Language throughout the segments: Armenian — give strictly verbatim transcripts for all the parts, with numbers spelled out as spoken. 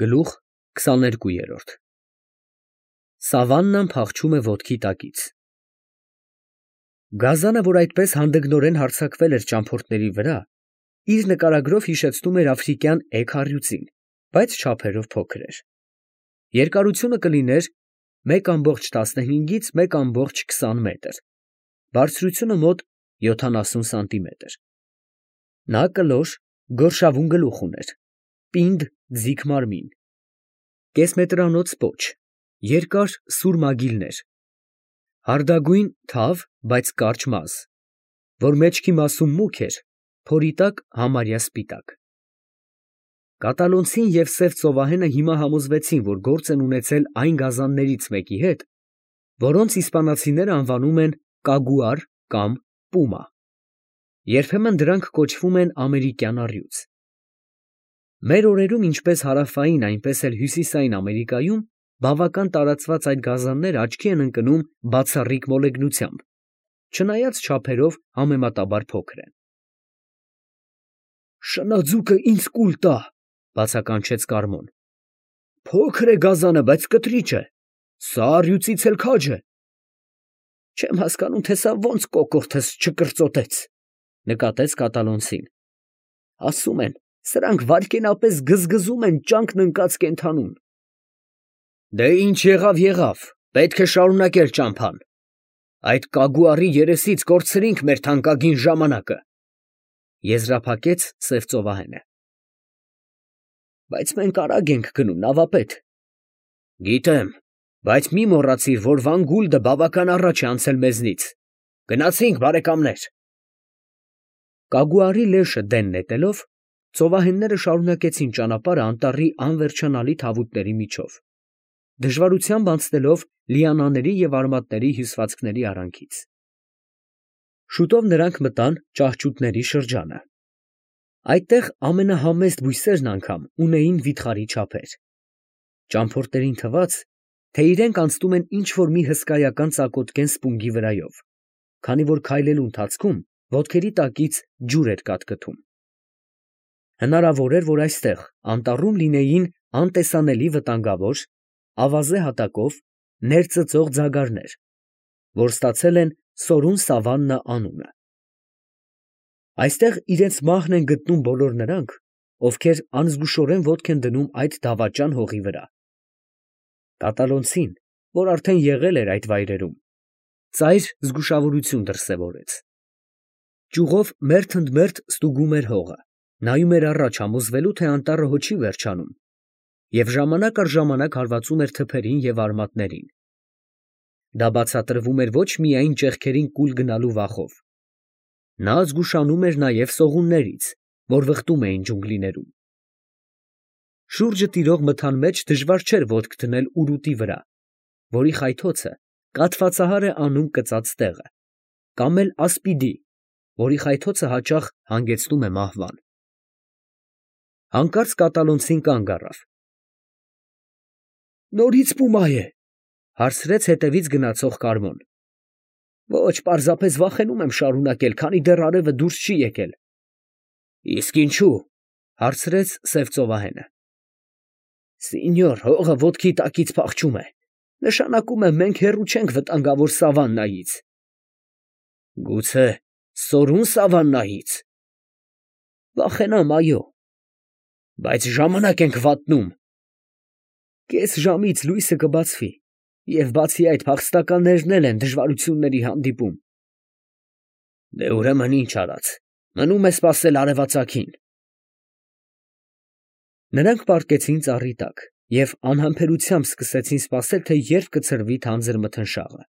Գլուխ քսաներկու։ Սավաննան փախչում է ոտքի տակից։ Գազանը, որ այդպես հանդգնորեն հարձակվել էր ճամփորդների վրա, իր նկարագրով հիշեցնում էր աֆրիկյան էգ առյուծին, բայց չափերով փոքր էր։ Երկարությունը կլիներ մեկ ամբողջ տասնհինգից մեկ ամբողջ քսան մետր, բարձրությունը մոտ յոթանասուն սանտիմետր։ Նա կլոր, գորշավուն գլուխ ուներ, պինդ ձիգ մարմին, կեսմետրանոց պոչ, երկար սուր մագիլներ, հարդագույն թավ, բայց կարճ մազ, որ մեջքի մասում մուգ էր, փորի տակ համարյա սպիտակ։ Կատալոնցին և սև ծովահենը հիմա համոզվեցին, որ գործ են ունեցել այն գազաններից մեկի հետ, որոնց իսպանացիները անվանում են կագուար կամ պումա. երբեմն դրանք կոչվում են ամերիկյան առյուծ։ Մեր օրերում ինչպես հարավային, այնպես էլ հյուսիսային Ամերիկայում բավական տարածված այդ գազանները աչքի են ընկնում բացառիկ մոլեգնությամբ, չնայած չափերով համեմատաբար փոքր են։ «Շնաձուկը ինձ կուլ տա», բացականչեց Կարմոն։ «Փոքր է գազանը, բայց կտրիճ է, սա առյուծից էլ քաջ է»։ «Չեմ հասկանում, թե սա ոնց կոկորդս չկրծոտեց», նկատեց կատալոնցին։ «Ասում են, սրանք վայրկենապես գզգզում են ճանկն ընկած կենդանուն»։ «Դե ինչ եղավ, եղավ, պետք է շարունակել ճամփան, այդ կագուարի երեսից կորցրինք մեր թանկագին ժամանակը», եզրափակեց սև ծովահենը։ «Բայց մենք արագ ենք գնում, նավապետ»։ «Գիտեմ, բայց մի մոռացիր, որ Վան Գուլդը բավական առաջ է անցել մեզնից։ Գնացինք, բարեկամներ»։ Կագուարի լեշը դեն նետելով, ծովահենները շարունակեցին ճանապարհը անտառի անվերջանալի թավուտների միջով, դժվարությամբ անցնելով լիանաների և արմատների հյուսվածքների արանքից։ Շուտով նրանք մտան ճահճուտների շրջանը։ Այդտեղ ամենահամեստ բույսերն անգամ ունեին վիթխարի չափեր։ Ճամփորդներին թվաց, թե իրենք անցնում են ինչ֊որ մի հսկայական ծակոտկեն սպունգի վրայով, քանի որ քայլելու ընթացքում ոտքերի տակից ջուր էր կատկտում։ Հնարավոր էր, որ այստեղ անտառում լինեին անտեսանելի վտանգավոր, ավազե հատակով ներծծող ձագարներ, որ ստացել են Սորուն Սավաննա անունը։ Այստեղ իրենց մահն են գտնում բոլոր նրանք, ովքեր անզգուշորեն ոտք են դնում այդ դավաճան հողի վրա։ Կատալոնցին, որ արդեն եղել էր այդ վայրերում, ծայր զգուշավորություն դրսևորեց։ Ճյուղով մերթ ընդ մերթ ստուգում էր հողը, նայում էր առաջ համոզվելու, թե անտառը հո չի վերջանում, և ժամանակ առ ժամանակ հարվածում էր թփերին և արմատներին։ Դա բացատրվում էր ոչ միայն ճեղքերին կուլ գնալու վախով. նա զգուշանում էր նաև սողուններից, որ վխտում էին ջունգլիներում։ Շուրջը տիրող մթան մեջ դժվար չէր ոտք դնել ուրուտի վրա, որի խայթոցը կաթվածահար է անում կծած տեղը, կամ էլ ասպիդի, որի խայթոցը հաճախ հանգեցնում է մահվան։ Հանկարծ կատալոնցին կանգ առավ։ «Նորից պումա է», հարցրեց հետևից գնացող Կարմոն։ «Ոչ, պարզապես վախենում եմ շարունակել, քանի դեռ արևը դուրս չի եկել»։ «Իսկ ինչու՞, հարցրեց սև ծովահենը։ «Սինյոր, հողը ոտքի տակից փախչում է, նշանակում է մենք հեռու չենք վտանգավոր սավաննայից»։ «Գուցե Սորուն Սավաննայից»։ «Վախենամ, այո»։ «Բայց ժամանակ ենք վատնում»։ «Կես ժամից լույսը կբացվի, և բացի այդ փախստականներն էլ են դժվարությունների հանդիպում»։ «Դե ուրեմն ինչ արած, մնում է սպասել արևածագին»։ Նրանք պառկեցին ծառի տակ և անհամբերությամբ սկսեցին սպասել, թե երբ կցրվի թանձր մթնշաղը։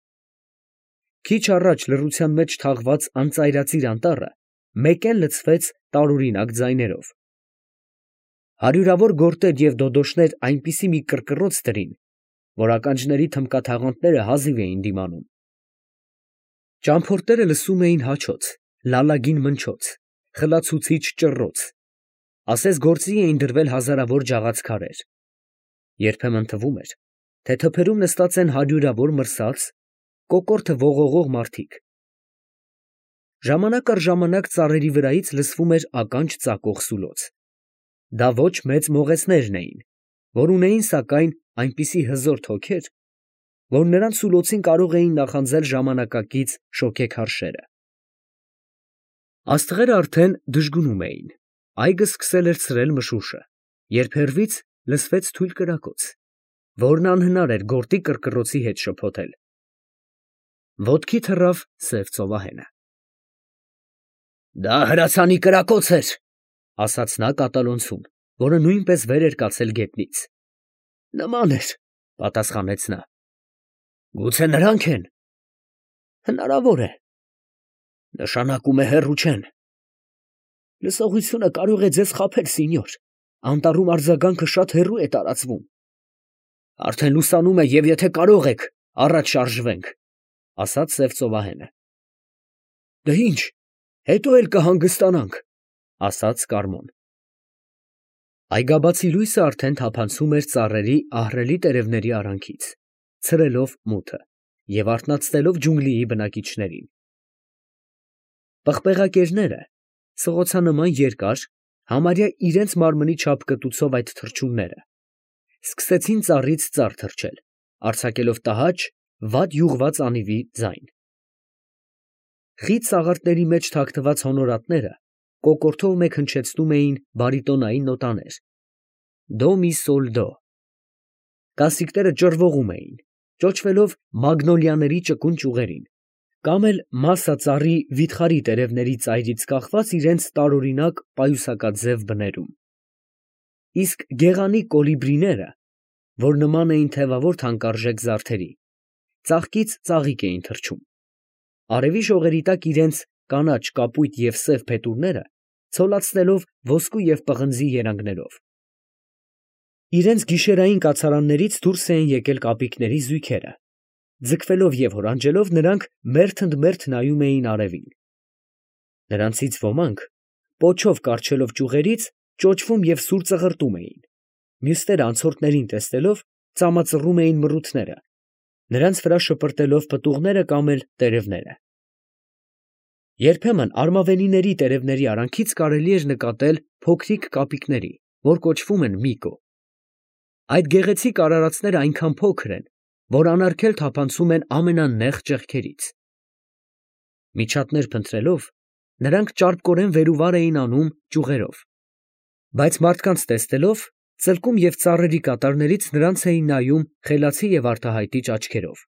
Քիչ առաջ լռության մեջ թաղված անծայրածիր անտառը մեկեն լցվեց տարօրինակ ձայներով։ Հարյուրավոր գորտեր և դոդոշներ այնպիսի մի կռկռոց դրին, որ ականջների թմբկաթաղանթները հազիվ էին դիմանում։ Ճամփորդները լսում էին հաչոց, լալագին մնչոց, խլացուցիչ ճռռոց, ասես գործի էին դրվել հազարավոր ջաղացքարեր։ Երբեմն թվում էր, թե թփերում նստած են հարյուրավոր մրսած, կոկորդը ողողող մարդիկ։ Ժամանակ առ ժամանակ ծառերի վրայից լսվում էր ականջ ծակող սուլոց։ Դա ոչ մեծ մողեսներն էին, որ ունեին սակայն այնպիսի հզոր թոքեր, որ նրանց սուլոցին կարող էին նախանձել ժամանակակից շոգեքար շերը։ Աստղերը արդեն դժգունում էին, այգը սկսել էր ցրել մշուշը, երբ հեռվից լսվեց թույլ կրակոց, որն անհնար էր գորտի կռկռոցի հետ շփոթել։ Ոտքի թռավ սև ծովահենը։ «Դա հրացանի կրակոց էր», ֊ ասաց նա կատալոնցուն, որը նույնպես վեր էր կացել գետնից։ «Նման էր», ֊ պատասխանեց նա։ «Գուցե նրանք են»։ «Հնարավոր է»։ «Նշանակում է հեռու չեն»։ «Լսողությունը կարող է ձեզ խաբել, սինյոր, անտառում արձագանքը շատ հեռու է տարածվում»։ «Արդեն լուսանում է, և եթե կարող եք, առաջ շարժվենք», ֊ ասաց սև ծովահենը։ «Դե ի՞նչ, հետո էլ կհանգստանանք», ֊ ասաց Կարմոն։ Այգաբացի լույսը արդեն թափանցում էր ծառերի ահռելի տերևների արանքից, ցրելով մութը և արթնացնելով ջունգլիի բնակիչներին։ Պղպեղակերները, սղոցանման երկար, համարյա իրենց մարմնի չափ կտուցով այդ թռչունները, սկսեցին ծառից ծառ թռչել, արձակելով տհաճ, վատ յուղված անիվի ձայն։ Խիտ սաղարթների մեջ թաքնված հոնորատները կոկորդով մեկ հնչեցնում էին բարիտոնային նոտաներ. դո մի սոլ դո։ Կասիկները ճռվողում էին, ճոճվելով մագնոլիաների ճկուն ճյուղերին, կամ էլ մասսա ծառի վիթխարի տերևների ծայրից կախված իրենց տարօրինակ պայուսակաձև բներում։ Իսկ գեղանի կոլիբրիները, որ նման էին թևավոր թանկարժեք զարդերի, ծաղկից ծաղիկ էին թռչում, արևի շողերի տակ իրենց կանաչ, կապույտ և սև փետուրները ցոլացնելով ոսկու և պղնձի երանգներով։ Իրենց գիշերային կացարաններից դուրս էին եկել կապիկների զույգերը, ձգվելով և հորանջելով նրանք մերթ ընդ մերթ նայում էին արևին։ Նրանցից ոմանք, պոչով կառչելով ճյուղերից, ճոճվում և սուր ծղրտում էին, մյուսները անցորդներին տեսնելով ծամածռում էին մռութները, նրանց վրա շպրտելով պտուղները կամ էլ տերևները։ Երբեմն արմավենիների տերևների արանքից կարելի էր նկատել փոքրիկ կապիկների, որ կոչվում են միկո։ Այդ գեղեցիկ արարածները այնքան փոքր են, որ անարգել թափանցում են ամենանեղ ճեղքերից։ Միջատներ փնտրելով, նրանք ճարպկորեն վեր ու վար էին անում ճյուղերով, բայց մարդկանց տեսնելով, ծլկում և ծառերի կատարներից նրանց էին նայում խելացի և արտահայտիչ աչքերով։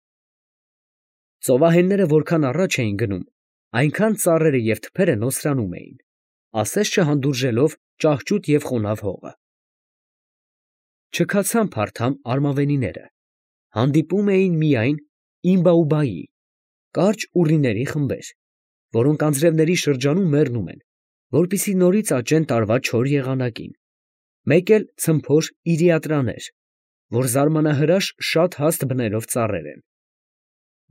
Ծովահենները որքան առաջ էին գնում, այնքան ծառերը և թփերը նոսրանում էին, ասես չհանդուրժելով ճահճուտ և խոնավ հողը։ Չքացան փարթամ արմավենիները, հանդիպում էին միայն իմբաուբայի, կարճ ուռիների խմբեր, որոնք անձրևների շրջանում մեռնում են, որպեսզի նորից աճեն տարվա չոր եղանակին, մեկ էլ ցմփոր իրիատրաներ, որ զարմանահրաշ շատ հաստ բներով ծառեր են։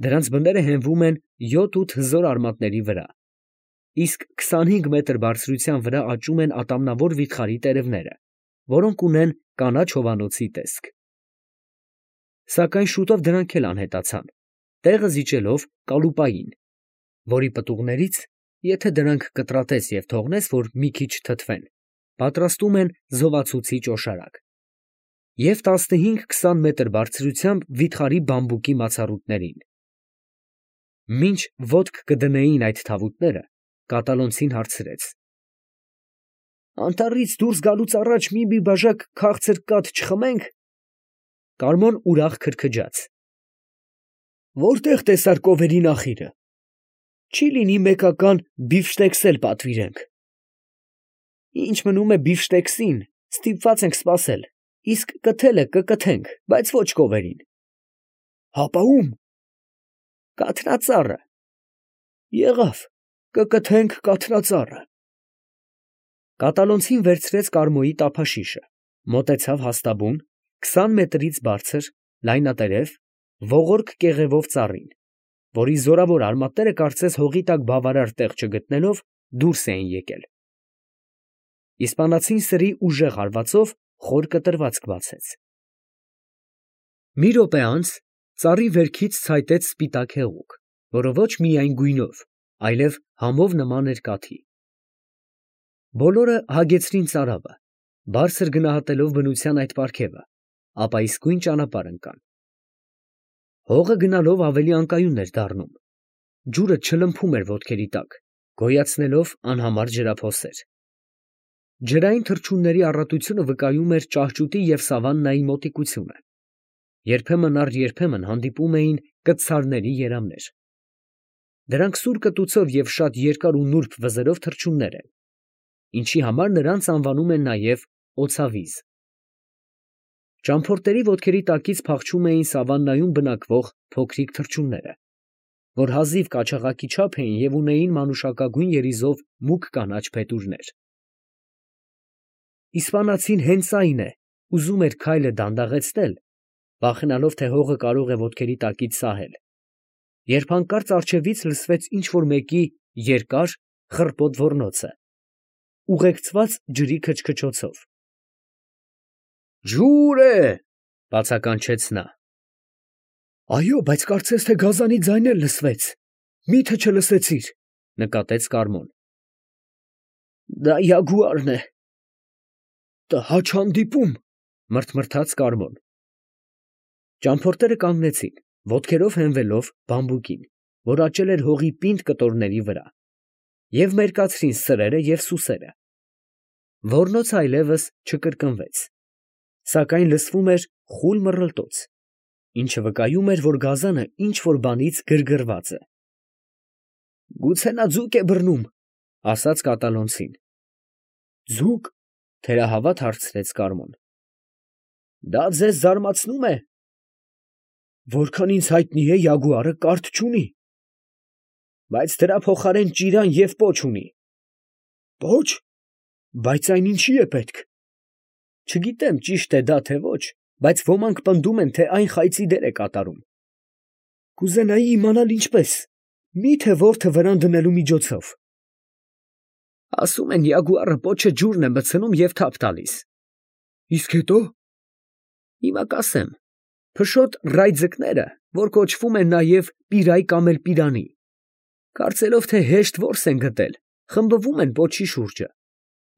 Դրանց բները հենվում են յոթ֊ութ հզոր արմատների վրա, իսկ քսանհինգ մետր բարձրության վրա աճում են ատամնավոր վիթխարի տերևները, որոնք ունեն կանաչ հովանոցի տեսք։ Սակայն շուտով դրանք էլ անհետացան, տեղը զիջելով կալուպային, որի պտուղներից, եթե դրանք կտրատես և թողնես, որ մի քիչ թթվեն, պատրաստում են զովացուցիչ օշարակ, և տասնհինգ֊քսան մետր բարձրությամբ վիթխարի բամբուկի մացառուտներին։ Մինչ ոտք կդնեին այդ թավուտները, կատալոնցին հարցրեց. «Անտառից դուրս գալուց առաջ մի֊մի բաժակ քաղցր կաթ չխմե՞նք»։ Կարմոն ուրախ քրքջաց. «Որտե՞ղ տեսար կովերի նախիրը։ Չի՞ լինի մեկական բիֆշտեքս էլ պատվիրենք»։ «Ինչ մնում է բիֆշտեքսին, ստիպված ենք սպասել, իսկ կթելը կկթենք, բայց ոչ կովերին»։ «Հապա ո՞ւմ»։ «Կաթնածառը»։ «Եղավ, կկթենք կաթնածառը»։ Կատալոնցին վերցրեց Կարմոյի տափաշիշը, մոտեցավ հաստաբուն, քսան մետրից բարձր, լայնատերև, ողորկ կեղևով ծառին, որի զորավոր արմատները կարծես հողի տակ բավարար տեղ չգտնելով, դուրս էին եկել։ Իսպանացին սրի ուժեղ հարվածով խոր կտրվածք բացեց։ Մի րոպե անց ծառի վերքից ցայտեց սպիտակ հեղուկ, որը ոչ միայն գույնով, այլև համով նման էր կաթի։ Բոլորը հագեցրին ծարավը, բարձր գնահատելով բնության այդ պարգևը, ապա իսկույն ճանապարհ ընկան։ Հողը գնալով ավելի անկայուն էր դառնում, ջուրը չլմփում էր ոտքերի տակ, գոյացնելով անհամար ջրափոսեր։ Ջրային թռչունների առատությունը վկայում էր ճահճուտի և սավաննայի մոտիկությունը։ Երբեմն առ երբեմն հանդիպում էին կտցարների երամներ։ Դրանք սուր կտուցով և շատ երկար ու նուրբ վզերով թռչուններ են, ինչի համար նրանց անվանում են նաև օձավիզ։ Ճամփորդների ոտքերի տակից փախչում էին սավաննայում բնակվող փոքրիկ թռչունները, որ հազիվ կաչաղակի չափ էին և ունեին մանուշակագույն երիզով մուգ կանաչ փետուրներ։ Իսպանացին հենց այն է, ուզում էր քայլը դանդաղեցնել, վախենալով, թե հողը կարող է ոտքերի տակից սահել, երբ հանկարծ առջևից լսվեց ինչ֊որ մեկի երկար, խռպոտ ոռնոցը, ուղեկցված ջրի քչքչոցով։ «Ջուր է!» բացականչեց նա։ «Այո, բայց կարծես թե գազանի ձայն էլ լսվեց, մի՞թե չլսեցիր», նկատեց Կարմոն։ «Դա յագուարն է»։ «Տհաճ հանդիպում», մրթմրթաց Կարմոն։ Ճամփորդները կանգնեցին, ոտքերով հենվելով բամբուկին, որ աճել էր հողի պինդ կտորների վրա, և մերկացրին սրերը և սուսերը։ Ոռնոցը այլևս չկրկնվեց, սակայն լսվում էր խուլ մռլտոց, ինչը վկայում էր, որ գազանը ինչ֊որ բանից գրգռված է։ «Գուցե նա ձուկ է բռնում», ասաց կատալոնցին։ «Ձուկ», թերահավատ հարցրեց Կարմոն։ «Դա ձեզ զարմացնո՞ւմ է»։ «Որքան ինձ հայտնի է, յագուարը կարթ չունի»։ «Բայց դրա փոխարեն ճիրան և պոչ ունի»։ «Պոչ, բայց այն ինչի է պետք»։ «Չգիտեմ ճիշտ է դա, թե ոչ, բայց ոմանք պնդում են, թե այն խայծի դեր է կատարում»։ «Կուզենայի իմանալ ինչպես, մի՞թե որդը վրան դնելու միջոցով»։ «Ասում են, յագուարը պոչը ջուրն է մտցնում և թափ տալիս»։ «Իսկ հետո»։ «Հիմա կասեմ. փշոտ ռայձկները, որ կոչվում են նաև պիրայ կամ էլ պիրանի, կարծելով, թե հեշտ որս են գտել, խմբվում են պոչի շուրջը,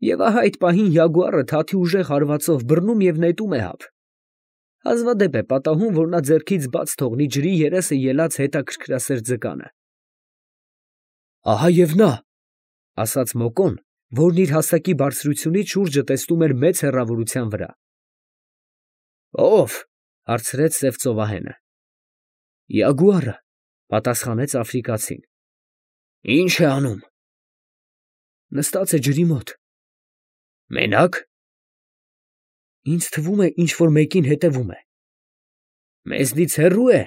և ահա այդ պահին յագուարը թաթի ուժեղ հարվածով բռնում և նետում է հապ։ Հազվադեպ է պատահում, որ նա ձեռքից բաց թողնի ջրի երեսը ելած հետաքրքրասեր ձկանը»։ «Ահա և նա», ասաց Մոկոն, որն իր հասակի բարձրությունից շուրջը տեսնում էր մեծ հեռավորության վրա։ «Ո՞վ»։ հարցրեց սև ծովահենը։ «Յագուարը», պատասխանեց աֆրիկացին։ «Ի՞նչ է անում»։ «Նստած է ջրի մոտ»։ «Մենա՞կ»։ «Ինձ թվում է, ինչ֊որ մեկին հետևում է»։ «Մեզնից հեռու է»։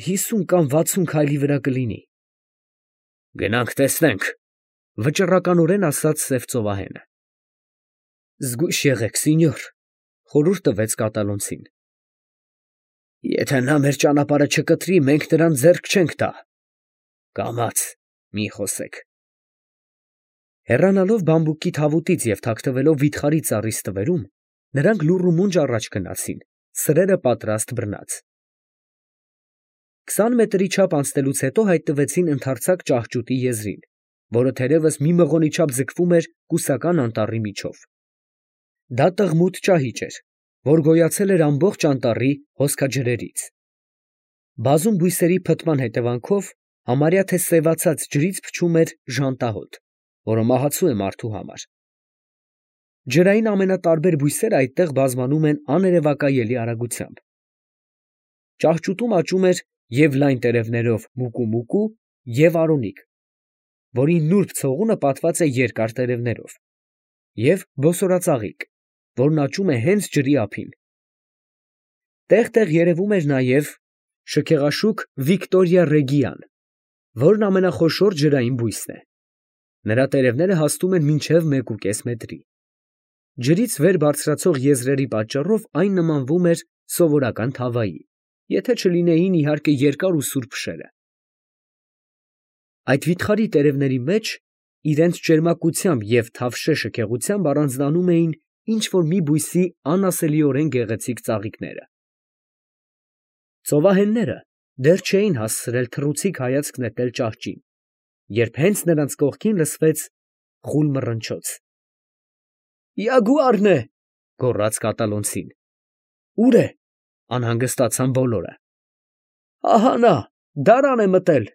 «Հիսուն կամ վաթսուն քայլի վրա կլինի»։ «Գնանք տեսնենք», վճռականորեն ասաց սև ծովահենը։ «Զգույշ եղեք, սինյոր», խորհուրդ տվեց կատալոնցին։ «Եթե նա մեր ճանապարհը չկտրի, մենք նրան ձեռք չենք տա։ Կամաց մի խոսեք»։ Հեռանալով բամբուկի թավուտից և թաքնվելով վիթխարի ծառի ստվերում, նրանք լուռ ու մունջ առաջ գնացին, սրերը պատրաստ բռնած։ Քսան մետրի չափ անցնելուց հետո հայտնվեցին ընդարձակ ճահճուտի եզրին, որը թերևս մի մղոնի չափ ձգվում էր կուսական անտառի միջով։ Դա տղմութ ճահիճ էր, որ գոյացել էր ամբողջ անտառի հոսքաջրերից։ Բազում բույսերի փտման հետևանքով համարյա թե սևացած ջրից փչում էր ժանտահոտ, որը մահացու է մարդու համար։ Ջրային ամենատարբեր բույսերը այդտեղ բազմանում են աներևակայելի արագությամբ։ Ճահճուտում աճում էր և լայն տերևներով մուկումուկու և արոնիկ, որի նուրբ ցողունը պատված է երկար տերևներով, և բոսորածաղիկ, որն աճում է հենց ջրի ափին։ Տեղ֊տեղ երևում էր նաև շքեղաշուք Վիկտորիա ռեգիան, որն ամենախոշոր ջրային բույսն է։ Նրա տերևները հասնում են մինչև մեկուկես մետրի։ Ջրից վեր բարձրացող եզրերի պատճառով այն նմանվում էր սովորական թավայի, եթե չլինեին, իհարկե, երկար ու սուր փշերը։ Այդ վիթխարի տերևների մեջ իրենց ճերմակությամբ և թավշե շքեղությամբ առանձնանում էին ինչ֊որ մի բույսի անասելիորեն գեղեցիկ ծաղիկները։ Ծովահենները դեռ չէին հասցրել թռուցիկ հայացք նետել ճահճին, երբ հենց նրանց կողքին լսվեց խուլ մռնչոց։ «Յագուարն է», գոռաց կատալոնցին։ Ո՞ւր է, ֊ անհանգստացան բոլորը։ ֊ Ահա նա, դարան է մտել։